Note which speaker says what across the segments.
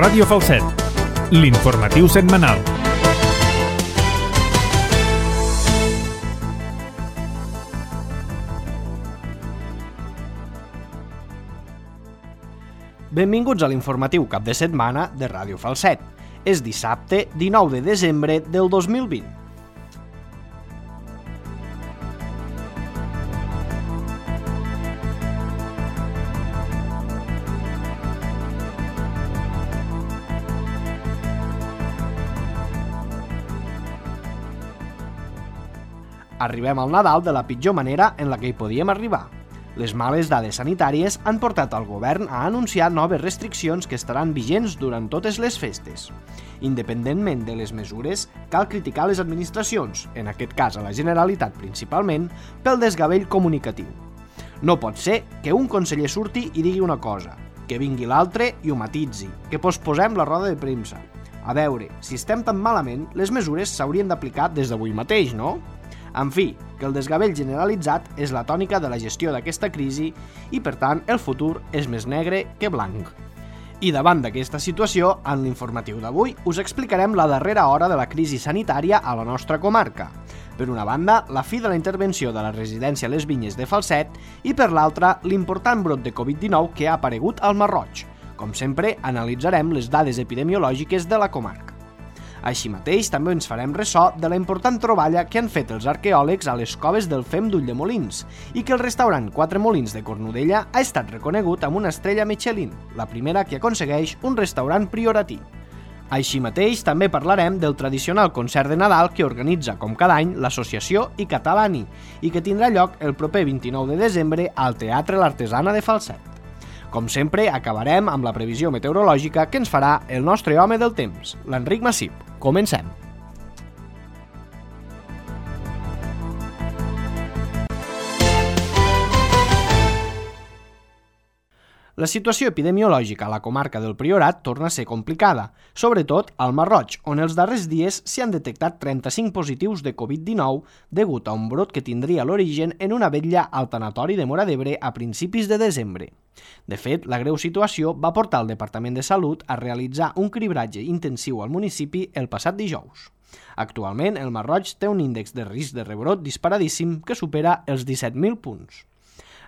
Speaker 1: Ràdio Falset, l'informatiu setmanal.
Speaker 2: Benvinguts a l'informatiu cap de setmana de Ràdio Falset. És dissabte 19 de desembre del 2020. Arribem al Nadal de la pitjor manera en la que hi podíem arribar. Les males dades sanitàries han portat al govern a anunciar noves restriccions que estaran vigents durant totes les festes. Independentment de les mesures, cal criticar les administracions, en aquest cas a la Generalitat principalment, pel desgavell comunicatiu. No pot ser que un conseller surti i digui una cosa, que vingui l'altre i ho matitzi, que posposem la roda de premsa. A veure, si estem tan malament, les mesures s'haurien d'aplicar des d'avui mateix, no? En fi, que el desgavell generalitzat és la tònica de la gestió d'aquesta crisi i, per tant, el futur és més negre que blanc. I davant d'aquesta situació, en l'informatiu d'avui us explicarem la darrera hora de la crisi sanitària a la nostra comarca. Per una banda, la fi de la intervenció de la residència Les Vinyes de Falset i, per l'altra, l'important brot de Covid-19 que ha aparegut al Masroig. Com sempre, analitzarem les dades epidemiològiques de la comarca. Així mateix, també ens farem ressò de la important troballa que han fet els arqueòlegs a les coves del Fem d'Ulldemolins i que el restaurant Quatre Molins de Cornudella ha estat reconegut amb una estrella Michelin, la primera que aconsegueix un restaurant prioratí. Així mateix, també parlarem del tradicional concert de Nadal que organitza, com cada any, l'associació I Catalani i que tindrà lloc el proper 29 de desembre al Teatre L'Artesana de Falset. Com sempre, acabarem amb la previsió meteorològica que ens farà el nostre home del temps, l'Enric Massip. Comencem! La situació epidemiològica a la comarca del Priorat torna a ser complicada, sobretot al Masroig, on els darrers dies s'hi han detectat 35 positius de Covid-19 degut a un brot que tindria l'origen en una vetlla al tanatori de Móra d'Ebre a principis de desembre. De fet, la greu situació va portar el Departament de Salut a realitzar un cribratge intensiu al municipi el passat dijous. Actualment, el Masroig té un índex de risc de rebrot disparadíssim que supera els 17.000 punts.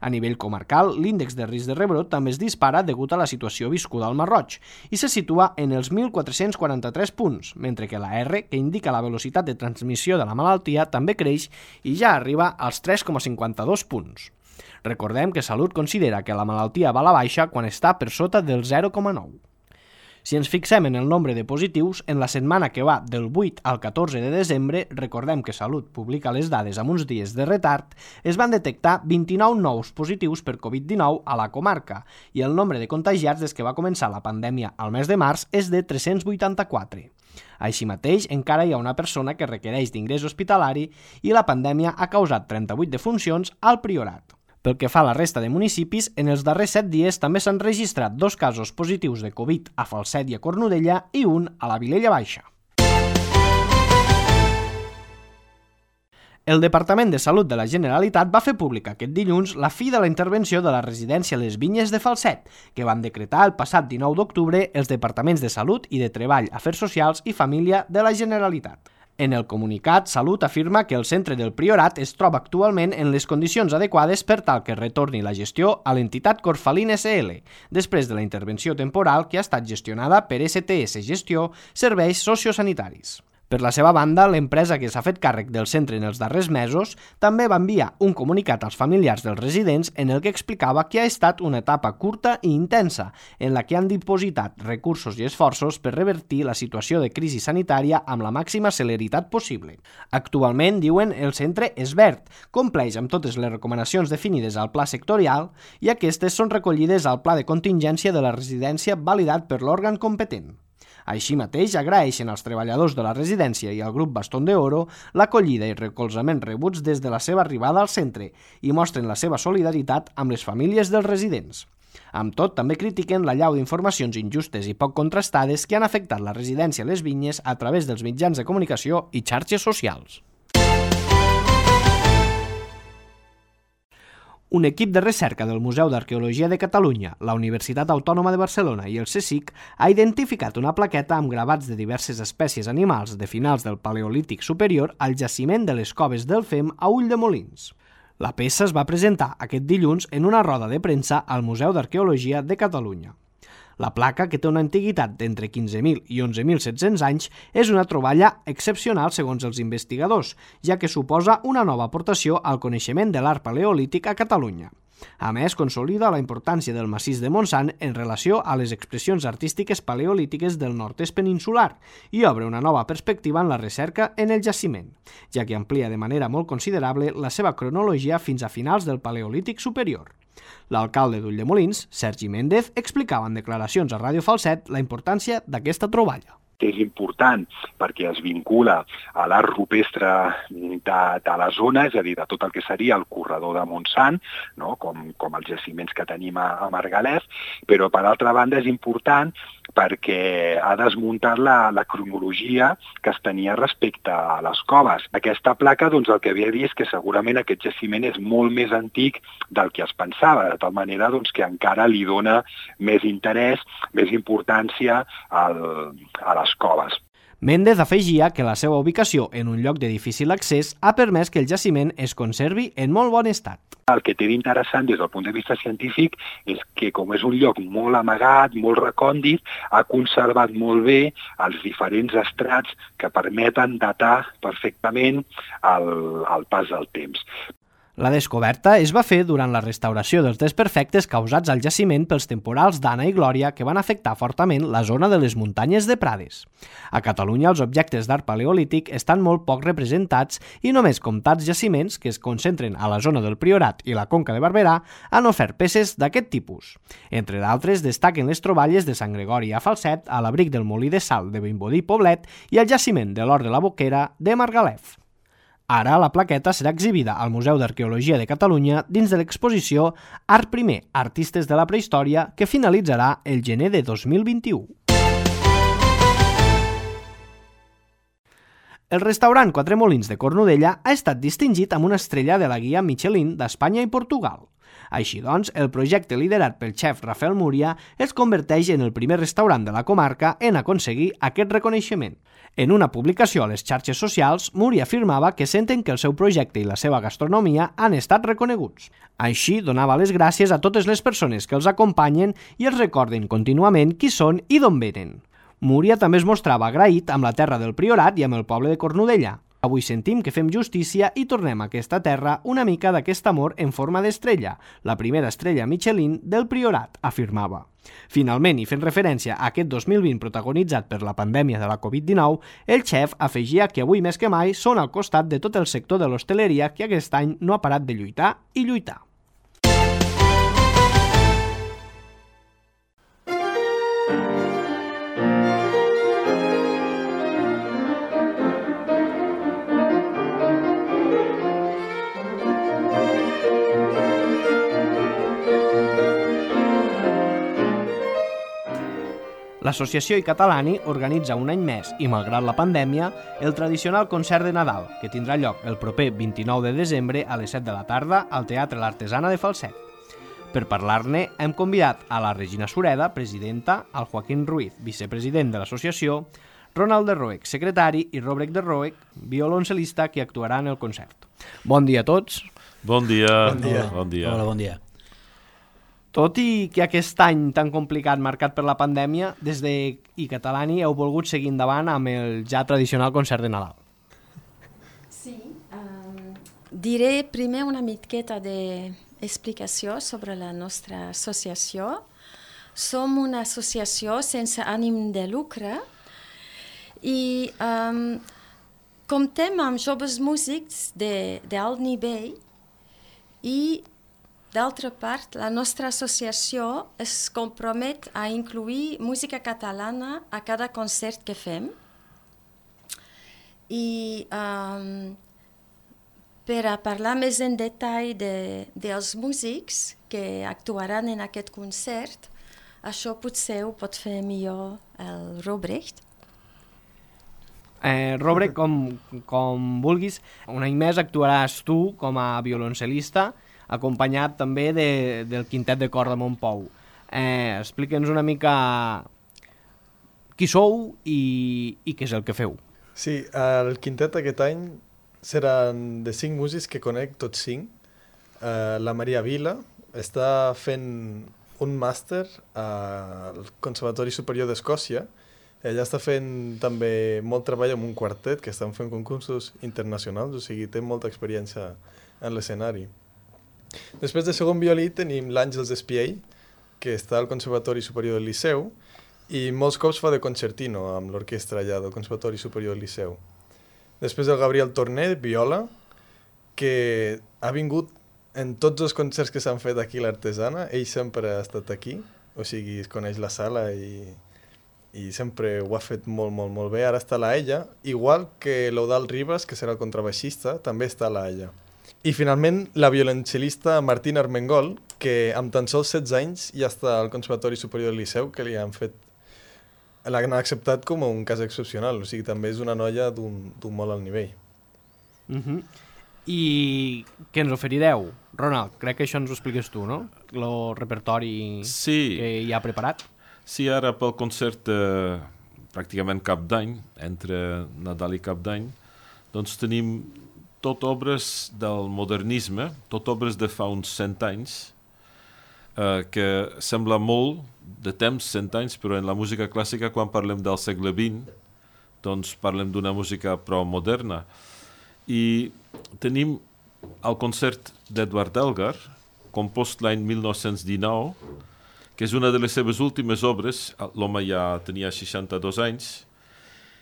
Speaker 2: A nivell comarcal, l'índex de risc de rebrot també es dispara degut a la situació viscuda al Masroig i se situa en els 1.443 punts, mentre que la R, que indica la velocitat de transmissió de la malaltia, també creix i ja arriba als 3,52 punts. Recordem que Salut considera que la malaltia va a la baixa quan està per sota del 0,9. Si ens fixem en el nombre de positius, en la setmana que va del 8 al 14 de desembre, recordem que Salut publica les dades amb uns dies de retard, es van detectar 29 nous positius per Covid-19 a la comarca i el nombre de contagiats des que va començar la pandèmia al mes de març és de 384. Així mateix, encara hi ha una persona que requereix d'ingrés hospitalari i la pandèmia ha causat 38 defuncions al Priorat. Pel que fa a la resta de municipis, en els darrers 7 dies també s'han registrat 2 casos positius de Covid a Falset i a Cornudella i un a la Vilella Baixa. El Departament de Salut de la Generalitat va fer pública aquest dilluns la fi de la intervenció de la residència Les Vinyes de Falset, que van decretar el passat 19 d'octubre els Departaments de Salut i de Treball, Afers Socials i Família de la Generalitat. En el comunicat, Salut afirma que el centre del Priorat es troba actualment en les condicions adequades per tal que retorni la gestió a l'entitat Corfalín SL, després de la intervenció temporal que ha estat gestionada per STS Gestió Serveis Sociosanitaris. Per la seva banda, l'empresa que s'ha fet càrrec del centre en els darrers mesos també va enviar un comunicat als familiars dels residents en el que explicava que ha estat una etapa curta i intensa en la que han dipositat recursos i esforços per revertir la situació de crisi sanitària amb la màxima celeritat possible. Actualment, diuen, el centre és verd, compleix amb totes les recomanacions definides al pla sectorial i aquestes són recollides al pla de contingència de la residència validat per l'òrgan competent. Així mateix, agraeixen als treballadors de la residència i al grup Bastón de Oro l'acollida i recolzament rebuts des de la seva arribada al centre i mostren la seva solidaritat amb les famílies dels residents. Amb tot, també critiquen l'allau d'informacions injustes i poc contrastades que han afectat la residència Les Vinyes a través dels mitjans de comunicació i xarxes socials. Un equip de recerca del Museu d'Arqueologia de Catalunya, la Universitat Autònoma de Barcelona i el CSIC ha identificat una plaqueta amb gravats de diverses espècies animals de finals del Paleolític superior al jaciment de les Coves del Fem a Ulldemolins. La peça es va presentar aquest dilluns en una roda de premsa al Museu d'Arqueologia de Catalunya. La placa, que té una antiguitat d'entre 15.000 i 11.700 anys, és una troballa excepcional segons els investigadors, ja que suposa una nova aportació al coneixement de l'art paleolític a Catalunya. A més, consolida la importància del massís de Montsant en relació a les expressions artístiques paleolítiques del nord-est peninsular i obre una nova perspectiva en la recerca en el jaciment, ja que amplia de manera molt considerable la seva cronologia fins a finals del Paleolític superior. L'alcalde d'Ulldemolins, Sergi Méndez, explicava en declaracions a Ràdio Falset la importància d'aquesta troballa.
Speaker 3: És important perquè es vincula a l'art rupestre de la zona, és a dir, de tot el que seria el corredor de Montsant, no? com els jaciments que tenim a Margalef, però per altra banda és important perquè ha desmuntat la cronologia que es tenia respecte a les coves. Aquesta placa el que ve a dir és que segurament aquest jaciment és molt més antic del que es pensava, de tal manera que encara li dona més interès, més importància a les coves.
Speaker 2: Méndez afegia que la seva ubicació en un lloc de difícil accés ha permès que el jaciment es conservi en molt bon estat.
Speaker 3: El que té d'interessant des del punt de vista científic és que, com és un lloc molt amagat, molt recòndit, ha conservat molt bé els diferents estrats que permeten datar perfectament el pas del temps.
Speaker 2: La descoberta es va fer durant la restauració dels desperfectes causats al jaciment pels temporals d'Anna i Glòria que van afectar fortament la zona de les muntanyes de Prades. A Catalunya els objectes d'art paleolític estan molt poc representats i només comptats jaciments que es concentren a la zona del Priorat i la Conca de Barberà han ofert peces d'aquest tipus. Entre d'altres destaquen les troballes de Sant Gregori a Falset, a l'abric del Molí de Sal de Vimbodí Poblet i el jaciment de l'Hort de la Boquera de Margalef. Ara la plaqueta serà exhibida al Museu d'Arqueologia de Catalunya dins de l'exposició Art Primer, Artistes de la Prehistòria, que finalitzarà el gener de 2021. El restaurant Quatre Molins de Cornudella ha estat distingit amb una estrella de la guia Michelin d'Espanya i Portugal. Així doncs, el projecte liderat pel xef Rafael Múria es converteix en el primer restaurant de la comarca en aconseguir aquest reconeixement. En una publicació a les xarxes socials, Múria afirmava que senten que el seu projecte i la seva gastronomia han estat reconeguts. Així, donava les gràcies a totes les persones que els acompanyen i els recorden contínuament qui són i d'on venen. Múria també es mostrava agraït amb la terra del Priorat i amb el poble de Cornudella. Avui sentim que fem justícia i tornem a aquesta terra una mica d'aquest amor en forma d'estrella, la primera estrella Michelin del Priorat, afirmava. Finalment, i fent referència a aquest 2020 protagonitzat per la pandèmia de la Covid-19, el xef afegia que avui més que mai són al costat de tot el sector de l'hostaleria que aquest any no ha parat de lluitar i lluitar. L'Associació iCatalani organitza un any més i, malgrat la pandèmia, el tradicional concert de Nadal, que tindrà lloc el proper 29 de desembre a les 7 de la tarda al Teatre L'Artesana de Falset. Per parlar-ne, hem convidat a la Regina Sureda, presidenta, al Joaquín Ruiz, vicepresident de l'associació, Ronald de Roec, secretari, i Robrek de Roec, violoncel·lista, que actuarà en el concert. Bon dia a tots.
Speaker 4: Bon dia.
Speaker 5: Bon dia.
Speaker 4: Bon dia.
Speaker 5: Hola, bon dia.
Speaker 2: Tot i que aquest any tan complicat marcat per la pandèmia, des de iCatalani heu volgut seguir endavant amb el ja tradicional concert de Nadal.
Speaker 6: Sí, diré primer una miqueta d'explicació sobre la nostra associació. Som una associació sense ànim de lucre i comptem amb joves músics d'alt nivell i, d'altra part, la nostra associació es compromet a incluir música catalana a cada concert que fem. I per a parlar més en detall dels músics que actuaran en aquest concert, això potser ho pot fer millor el Robrecht.
Speaker 2: Robrek, com vulguis, un any més actuaràs tu com a violoncel·lista acompanyat també del Quintet de Cor de Montpou. Explica'ns una mica qui sou i què és el que feu.
Speaker 4: Sí, el quintet aquest any seran de 5 músics que conec tots 5. La Maria Vila està fent un màster al Conservatori Superior d'Escòcia. Ella està fent també molt treball amb un quartet que estan fent concursos internacionals, o sigui, té molta experiència en l'escenari. Després de segon violí tenim l'Àngels Espiell, que està al Conservatori Superior del Liceu, i molts cops fa de concertino amb l'orquestra allà del Conservatori Superior del Liceu. Després el Gabriel Torner, viola, que ha vingut en tots els concerts que s'han fet aquí a l'Artesana. Ell sempre ha estat aquí, o sigui, es coneix la sala i sempre ho ha fet molt, molt, molt bé. Ara està la Ella, igual que l'Eudald Ribas, que serà el contrabaixista, també està la Ella. I finalment la violoncel·lista Martina Armengol, que amb tan sols 16 anys ja està al Conservatori Superior del Liceu, que l'han acceptat com un cas excepcional, o sigui, també és una noia d'un molt alt nivell.
Speaker 2: I què ens oferireu? Ronald, crec que això ens ho expliques tu, no? El repertori que hi ha preparat.
Speaker 5: Sí, ara pel concert pràcticament cap d'any, entre Nadal i cap d'any, doncs tenim tot obres del modernisme, tot obres de fa uns 100 anys, que sembla molt de temps, 100 anys, però en la música clàssica, quan parlem del segle XX, doncs parlem d'una música prou moderna. I tenim el concert d'Edward Elgar, compost l'any 1919, que és una de les seves últimes obres. L'home ja tenia 62 anys,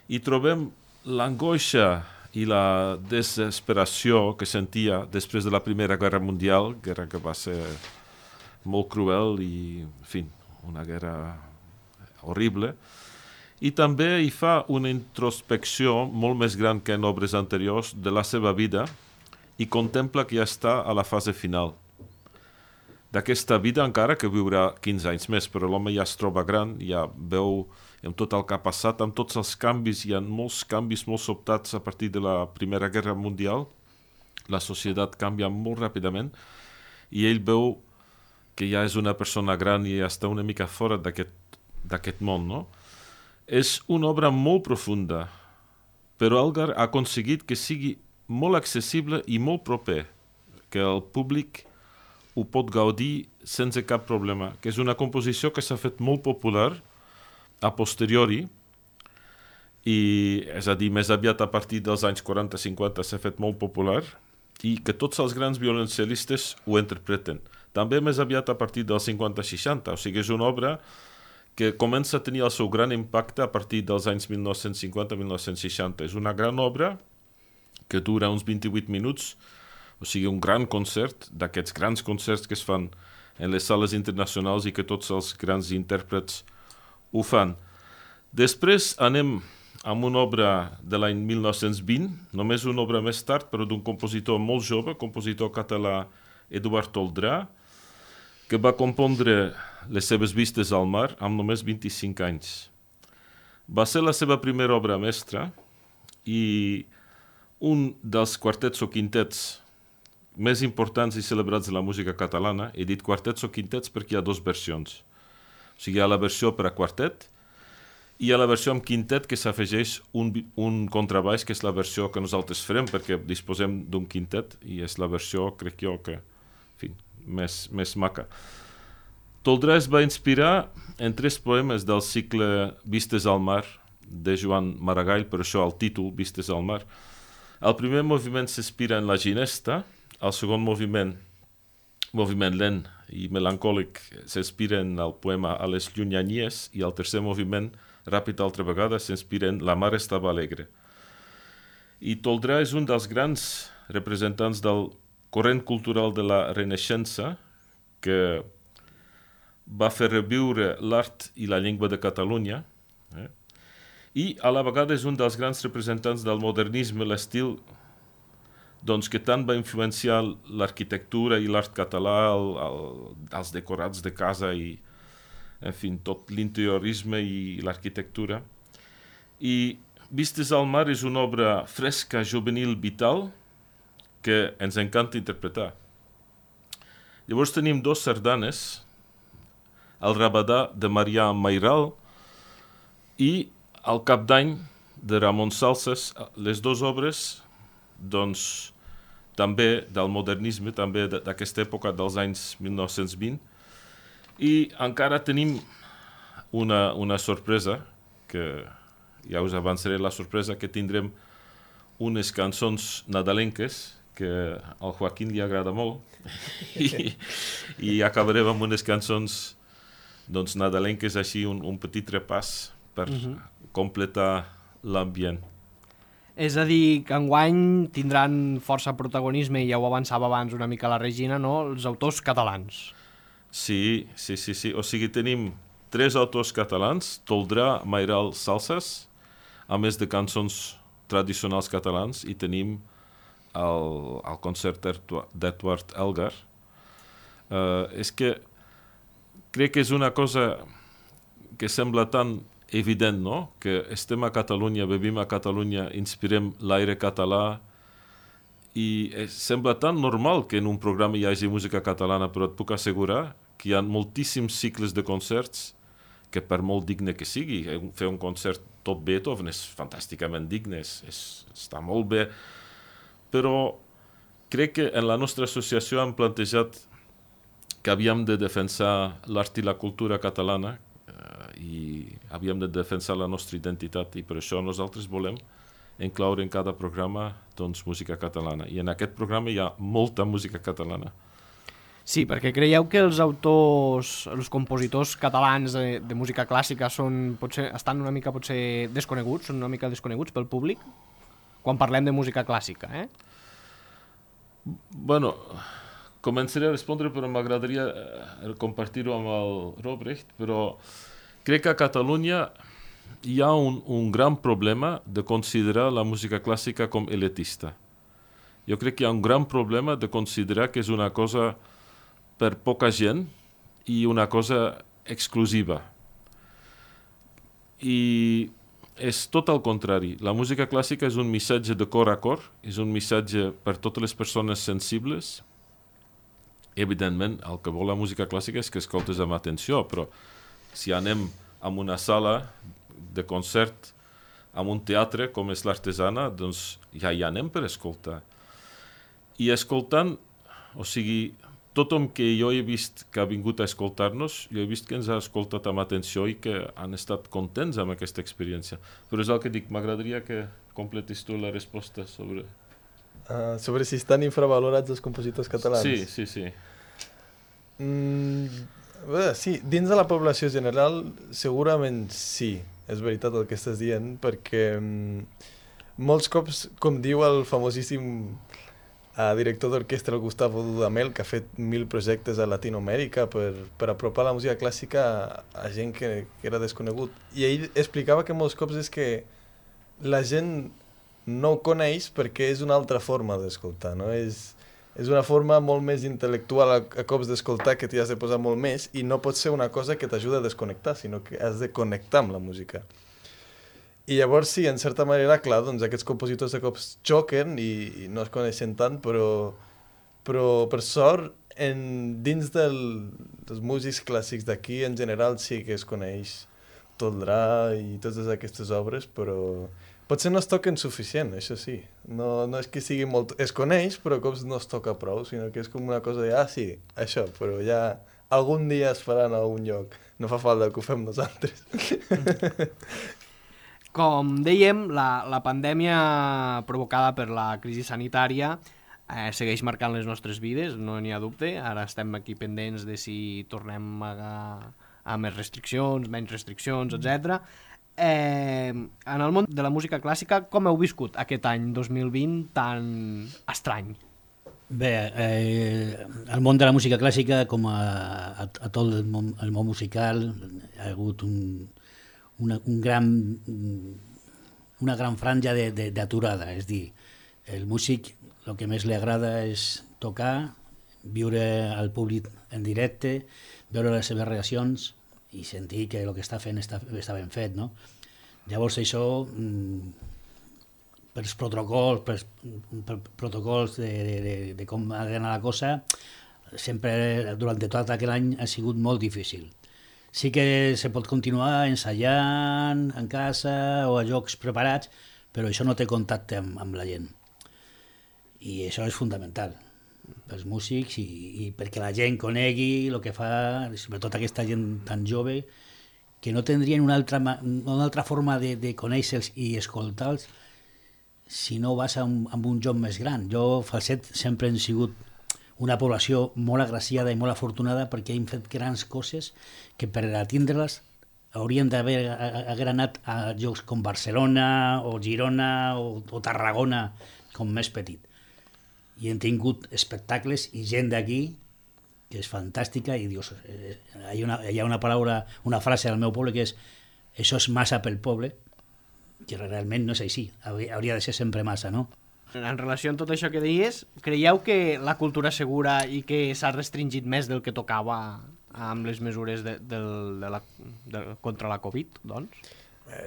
Speaker 5: i trobem l'angoixa i la desesperació que sentia després de la Primera Guerra Mundial, guerra que va ser molt cruel i, en fi, una guerra horrible. I també hi fa una introspecció molt més gran que en obres anteriors de la seva vida i contempla que ja està a la fase final d'aquesta vida, encara que viurà 15 anys més, però l'home ja es troba gran, ja veu amb tot el que ha passat, amb tots els canvis, hi ha molts canvis molt sobtats a partir de la Primera Guerra Mundial, la societat canvia molt ràpidament, i ell veu que ja és una persona gran i ja està una mica fora d'aquest món, no? És una obra molt profunda, però Elgar ha aconseguit que sigui molt accessible i molt proper, que el públic ho pot gaudir sense cap problema, que és una composició que s'ha fet molt popular a posteriori, i és a dir, més aviat a partir dels anys 40-50 s'ha fet molt popular, i que tots els grans violoncel·listes ho interpreten. També més aviat a partir dels 50-60, o sigui, és una obra que comença a tenir el seu gran impacte a partir dels anys 1950-1960. És una gran obra que dura uns 28 minuts, o sigui, un gran concert, d'aquests grans concerts que es fan en les sales internacionals i que tots els grans intèrprets ho fan. Després anem amb una obra de l'any 1920, només una obra més tard, però d'un compositor molt jove, compositor català Eduard Toldrà, que va compondre les seves vistes al mar amb només 25 anys. Va ser la seva primera obra mestra i un dels quartets o quintets més importants i celebrats de la música catalana. He dit quartets o quintets perquè hi ha dues versions. O sigui, hi ha la versió per a quartet i hi ha la versió amb quintet que s'afegeix un contrabaix, que és la versió que nosaltres farem perquè disposem d'un quintet i és la versió, crec jo, que, en fi, més maca. Toldrà es va inspirar en 3 poemes del cicle Vistes al mar, de Joan Maragall, per això el títol, Vistes al mar. El primer moviment s'inspira en la ginesta, el segon moviment lent i melancòlic, s'inspira en el poema A les llunyanies, i el tercer moviment, ràpid altra vegada, s'inspira en La mar estava alegre. I Toldrà és un dels grans representants del corrent cultural de la Renaixença, que va fer reviure l'art i la llengua de Catalunya, i a la vegada és un dels grans representants del modernisme, l'estil doncs, que tant va influenciar l'arquitectura i l'art català, els decorats de casa i, en fi, tot l'interiorisme i l'arquitectura. I Vistes al mar és una obra fresca, juvenil, vital, que ens encanta interpretar. Llavors tenim 2 sardanes, el Rabadà de Marià Mairal i el Cap d'Any de Ramon Salses, les 2 obres, doncs, també del modernisme, també d'aquesta època dels anys 1920. I encara tenim una sorpresa, que ja us avançaré la sorpresa, que tindrem unes cançons nadalenques, que al Joaquín li agrada molt, i acabarem amb unes cançons doncs, nadalenques, així un petit repàs per completar l'ambient.
Speaker 2: És a dir, que enguany tindran força protagonisme, i ja ho avançava abans una mica la Regina, no? Els autors catalans.
Speaker 5: Sí. O sigui, tenim 3 autors catalans, Toldrà, Mairal, Salses, a més de cançons tradicionals catalans, i tenim el concert d'Edward Elgar. És que crec que és una cosa que sembla tan evident, no? Que estem a Catalunya, vivim a Catalunya, inspirem l'aire català, i sembla tan normal que en un programa hi hagi música catalana, però et puc assegurar que hi ha moltíssims cicles de concerts que, per molt digne que sigui, fer un concert tot Beethoven és fantàsticament digne, està molt bé, però crec que en la nostra associació hem plantejat que havíem de defensar l'art i la cultura catalana, i havíem de defensar la nostra identitat, i per això nosaltres volem incloure en cada programa doncs, música catalana. I en aquest programa hi ha molta música catalana.
Speaker 2: Sí, perquè creieu que els autors, els compositors catalans de música clàssica estan una mica potser desconeguts, són una mica desconeguts pel públic? Quan parlem de música clàssica,
Speaker 5: Bueno, començaré a respondre, però m'agradaria compartir-ho amb el Robrecht, però crec que a Catalunya hi ha un gran problema de considerar la música clàssica com elitista. Jo crec que hi ha un gran problema de considerar que és una cosa per poca gent i una cosa exclusiva. I és tot el contrari. La música clàssica és un missatge de cor a cor, és un missatge per totes les persones sensibles. Evidentment, el que vol la música clàssica és que escoltes amb atenció, però si anem a una sala de concert, a un teatre com és l'Artesana, doncs ja hi anem per escoltar. I escoltant, o sigui, tothom que jo he vist que ha vingut a escoltar-nos, jo he vist que ens ha escoltat amb atenció i que han estat contents amb aquesta experiència. Però és el que dic, m'agradaria que completis tu la resposta sobre...
Speaker 4: Sobre si estan infravalorats els compositors catalans.
Speaker 5: Sí.
Speaker 4: Sí, dins de la població general segurament sí, és veritat el que estàs dient, perquè molts cops, com diu el famosíssim director d'orquestra, el Gustavo Dudamel, que ha fet 1000 projectes a Latinoamèrica per apropar la música clàssica a gent que era desconegut. I ell explicava que molts cops és que la gent no ho coneix perquè és una altra forma d'escoltar, no? És una forma molt més intel·lectual a cops d'escoltar, que t'hi has de posar molt més, i no pot ser una cosa que t'ajuda a desconnectar, sinó que has de connectar amb la música. I llavors sí, en certa manera, clar, doncs aquests compositors de cops xoquen i no es coneixen tant, però per sort, dins dels músics clàssics d'aquí, en general sí que es coneix Toldrà i totes aquestes obres, però potser no es toquen suficient, això sí. No és que sigui molt... Es coneix, però cops no es toca prou, sinó que és com una cosa de, sí, això, però ja algun dia es farà en algun lloc. No fa falta que ho fem nosaltres.
Speaker 2: Com dèiem, la pandèmia provocada per la crisi sanitària segueix marcant les nostres vides, no n'hi ha dubte. Ara estem aquí pendents de si tornem a més restriccions, menys restriccions, etc. En el món de la música clàssica, com heu viscut aquest any 2020 tan estrany?
Speaker 7: Bé, el món de la música clàssica, com a tot el món musical, ha hagut una gran franja d'aturada. És dir, el músic el que més li agrada és tocar, viure al públic en directe, veure les seves reaccions i sentir que el que està fent està ben fet, no? Llavors això, per protocols de com ha d'anar la cosa, sempre, durant tot aquell any, ha sigut molt difícil. Sí que se pot continuar ensaiant en casa o a jocs preparats, però això no té contacte amb la gent. I això és fundamental pels músics i perquè la gent conegui el que fa, sobretot aquesta gent tan jove, que no tindrien una altra forma de conèixer-los i escoltar-los si no vas a un joc més gran. Jo, Falset, sempre hem sigut una població molt agraciada i molt afortunada perquè hem fet grans coses que per atindre-les haurien d'haver anat a llocs com Barcelona o Girona o Tarragona, com més petit. I hem tingut espectacles i gent d'aquí que és fantàstica i dius, hi ha una frase al meu poble que és això és massa pel poble, que realment no és així, hauria de ser sempre massa, no?
Speaker 2: En relació amb tot això que deies, creieu que la cultura és segura i que s'ha restringit més del que tocava amb les mesures contra la Covid, doncs?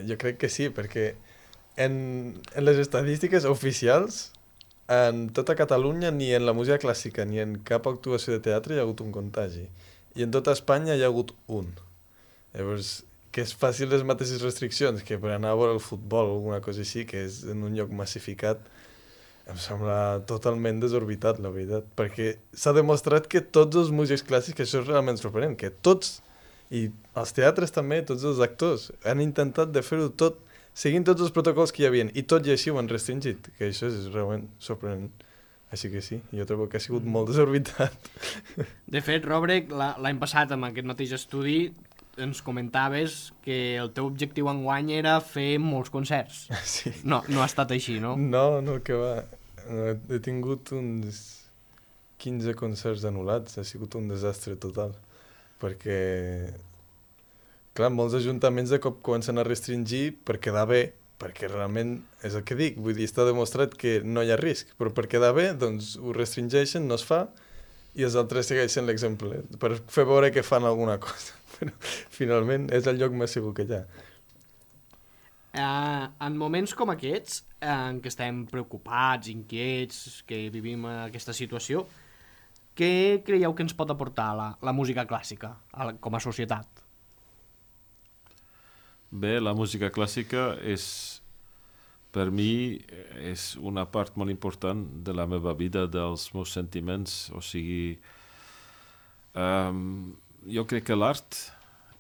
Speaker 4: Jo crec que sí, perquè en les estadístiques oficials, en tota Catalunya, ni en la música clàssica ni en cap actuació de teatre hi ha hagut un contagi. I en tota Espanya hi ha hagut un. Llavors, que és fàcil les mateixes restriccions que per anar a veure el futbol o alguna cosa així, que és en un lloc massificat, em sembla totalment desorbitat, la veritat, perquè s'ha demostrat que tots els músics clàssics, que això és realment sorprenent, que tots, i els teatres també, tots els actors, han intentat de fer-ho tot, seguint tots els protocols que hi havia, i tot i així ho han restringit, que això és realment sorprenent. Així que sí, jo trobo que ha sigut molt desorbitat.
Speaker 2: De fet, Robrek, l'any passat, amb aquest mateix estudi, ens comentaves que el teu objectiu enguany era fer molts concerts.
Speaker 4: Sí.
Speaker 2: No ha estat així, no?
Speaker 4: No, que va. He tingut uns 15 concerts anul·lats, ha sigut un desastre total. Perquè, clar, molts ajuntaments de cop comencen a restringir per quedar bé, perquè realment és el que dic, vull dir, està demostrat que no hi ha risc, però per quedar bé, doncs ho restringeixen, no es fa, i els altres segueixen l'exemple, per fer veure que fan alguna cosa. Però finalment és el lloc més segur que hi ha.
Speaker 2: En moments com aquests, en què estem preocupats, inquiets, que vivim aquesta situació, què creieu que ens pot aportar la música clàssica com a societat?
Speaker 5: Bé, la música clàssica per mi és una part molt important de la meva vida, dels meus sentiments, o sigui, jo crec que l'art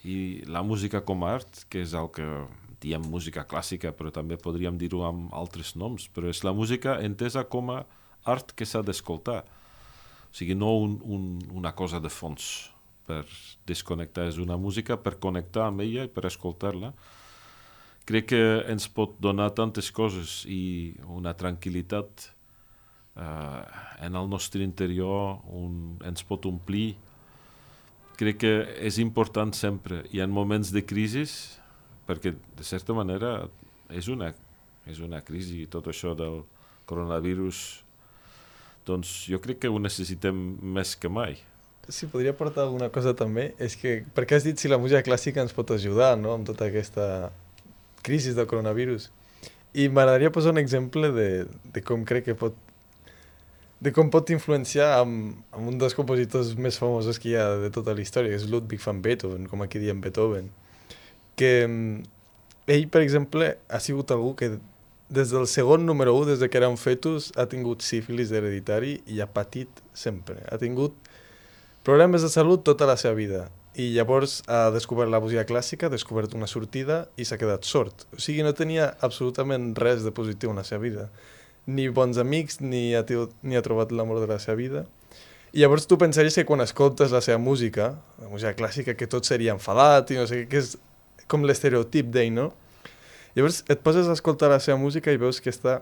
Speaker 5: i la música com a art, que és el que diem música clàssica, però també podríem dir-ho amb altres noms, però és la música entesa com a art que s'ha d'escoltar. O sigui, no una cosa de fons per desconnectar, és una música per connectar amb ella i per escoltar-la. Crec que ens pot donar tantes coses i una tranquil·litat en el nostre interior, ens pot omplir. Crec que és important sempre, i en moments de crisi, perquè de certa manera és una crisi, tot això del coronavirus, doncs jo crec que ho necessitem més que mai.
Speaker 4: Si podria aportar alguna cosa també, és que, perquè has dit si la música clàssica ens pot ajudar, no?, amb tota aquesta crisi del coronavirus. I m'agradaria posar un exemple de com crec que com pot influenciar amb un dels compositors més famosos que hi ha de tota la història, que és Ludwig van Beethoven, com aquí diem Beethoven. Que ell, per exemple, ha sigut algú que des del segon número 1, des que era un fetus, ha tingut sífilis hereditari i ha patit sempre. Ha tingut problemes de salut tota la seva vida. I llavors ha descobert la música clàssica, ha descobert una sortida i s'ha quedat sord. O sigui, no tenia absolutament res de positiu en la seva vida. Ni bons amics, ni ha trobat l'amor de la seva vida. I llavors tu pensaries que quan escoltes la seva música, la música clàssica, que tot seria enfadat i no sé què, que és com l'estereotip d'ell, no? Llavors et poses a escoltar la seva música i veus que està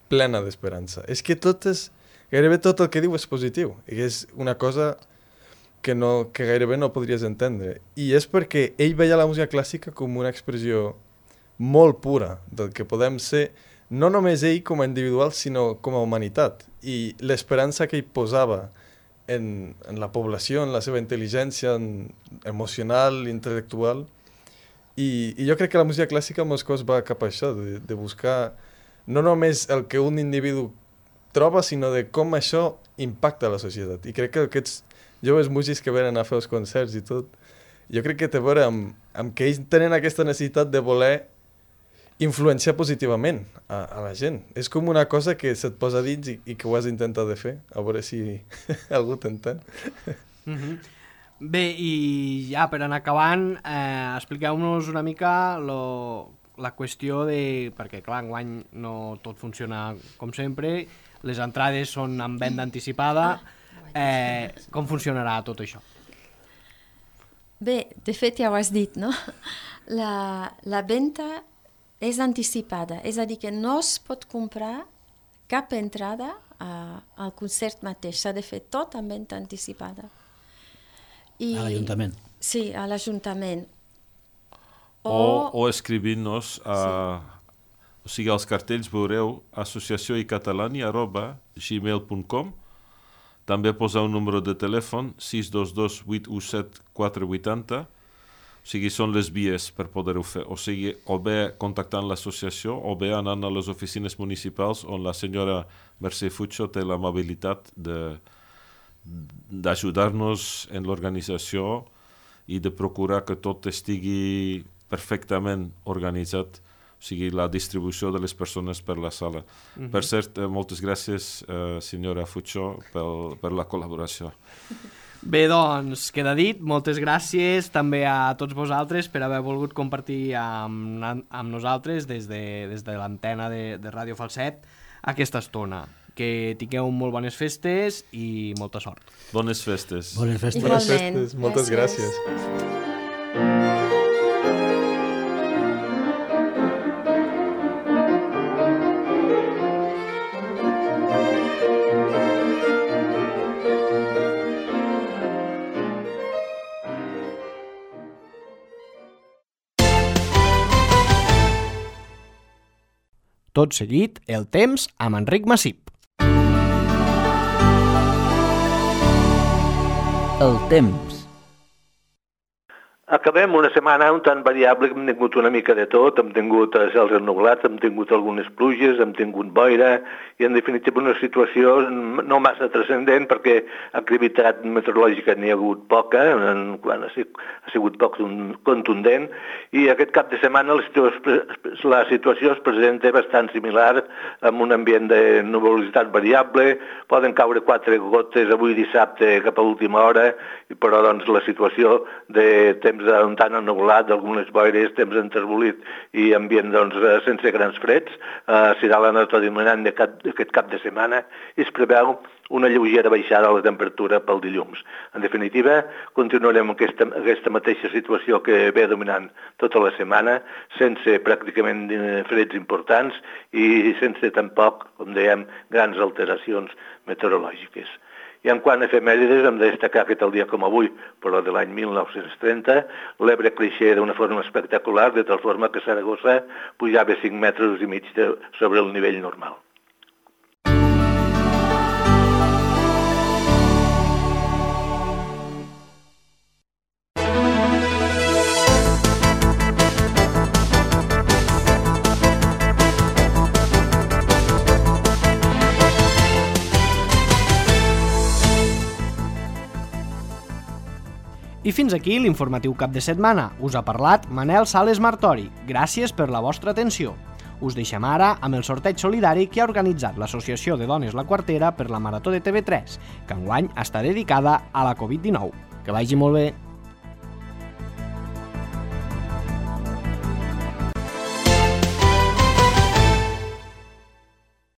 Speaker 4: plena d'esperança. És que gairebé tot el que diu és positiu, i és una cosa que gairebé no podries entendre. I és perquè ell veia la música clàssica com una expressió molt pura del que podem ser, no només ell com a individual, sinó com a humanitat. I l'esperança que ell posava en la població, en la seva intel·ligència emocional, intel·lectual. I jo crec que la música clàssica molts cops va cap a això, de buscar no només el que un individu troba, sinó de com això impacta a la societat. I crec que aquests joves músics que venen a fer els concerts i tot, jo crec que té a veure amb que ells tenen aquesta necessitat de voler influenciar positivament a la gent. És com una cosa que se't posa dins i que ho has d'intentar de fer, a veure si algú t'entén.
Speaker 2: Bé, i ja per anar acabant, expliqueu-nos una mica la qüestió de... Perquè, clar, enguany no tot funciona com sempre, les entrades són en venda anticipada. Com funcionarà tot això?
Speaker 6: Bé, de fet ja ho has dit, no? La venda és anticipada, és a dir, que no es pot comprar cap entrada al concert mateix, s'ha de fer tot en venda anticipada.
Speaker 7: A l'Ajuntament.
Speaker 6: Sí, a l'Ajuntament.
Speaker 5: O escrivint-nos o sigui, als cartells veureu associacióicatalani@gmail.com. També posar un número de telèfon 622 817 480. O sigui, són les vies per poder-ho fer. O sigui, o bé contactant l'associació o bé anant a les oficines municipals on la senyora Mercè Fucho té l'amabilitat d'ajudar-nos en l'organització i de procurar que tot estigui perfectament organitzat, o sigui, la distribució de les persones per la sala. Per cert, moltes gràcies, senyora Fucho, per la col·laboració.
Speaker 2: Bé, doncs, queda dit. Moltes gràcies també a tots vosaltres per haver volgut compartir amb nosaltres des de l'antena de Ràdio Falset aquesta estona. Que tingueu molt bones festes i molta sort.
Speaker 5: Bones festes.
Speaker 7: Bones festes.
Speaker 4: Bones festes. Moltes gràcies.
Speaker 2: Tot seguit, el temps amb Enric Massip.
Speaker 8: El temps. Acabem una setmana un tant variable, hem tingut una mica de tot, hem tingut cels ennublats, hem tingut algunes pluges, hem tingut boira, i en definitiva una situació no massa transcendent perquè activitat meteorològica n'hi ha hagut poca, quan ha sigut poc contundent, i aquest cap de setmana la situació es presenta bastant similar, amb un ambient de nuvolositat variable, poden caure 4 gotes avui dissabte cap a l'última hora, però doncs la situació de temps un tant ennubulat, d'algunes boires, temps enterbolit i ambient doncs, sense grans freds, serà la nota dominant d'aquest cap de setmana i es preveu una lleugera baixada a la temperatura pel dilluns. En definitiva, continuarem aquesta mateixa situació que ve dominant tota la setmana, sense pràcticament freds importants i sense tampoc, com dèiem, grans alteracions meteorològiques. I en quant a efemèrides, hem de destacar que tal dia com avui, però de l'any 1930, l'Ebre creixia d'una forma espectacular, de tal forma que Saragossa pujava 5 metres i mig sobre el nivell normal.
Speaker 2: I fins aquí l'informatiu cap de setmana. Us ha parlat Manel Sales Martori. Gràcies per la vostra atenció. Us deixem ara amb el sorteig solidari que ha organitzat l'Associació de Dones La Quartera per la Marató de TV3, que enguany està dedicada a la Covid-19. Que vagi molt bé!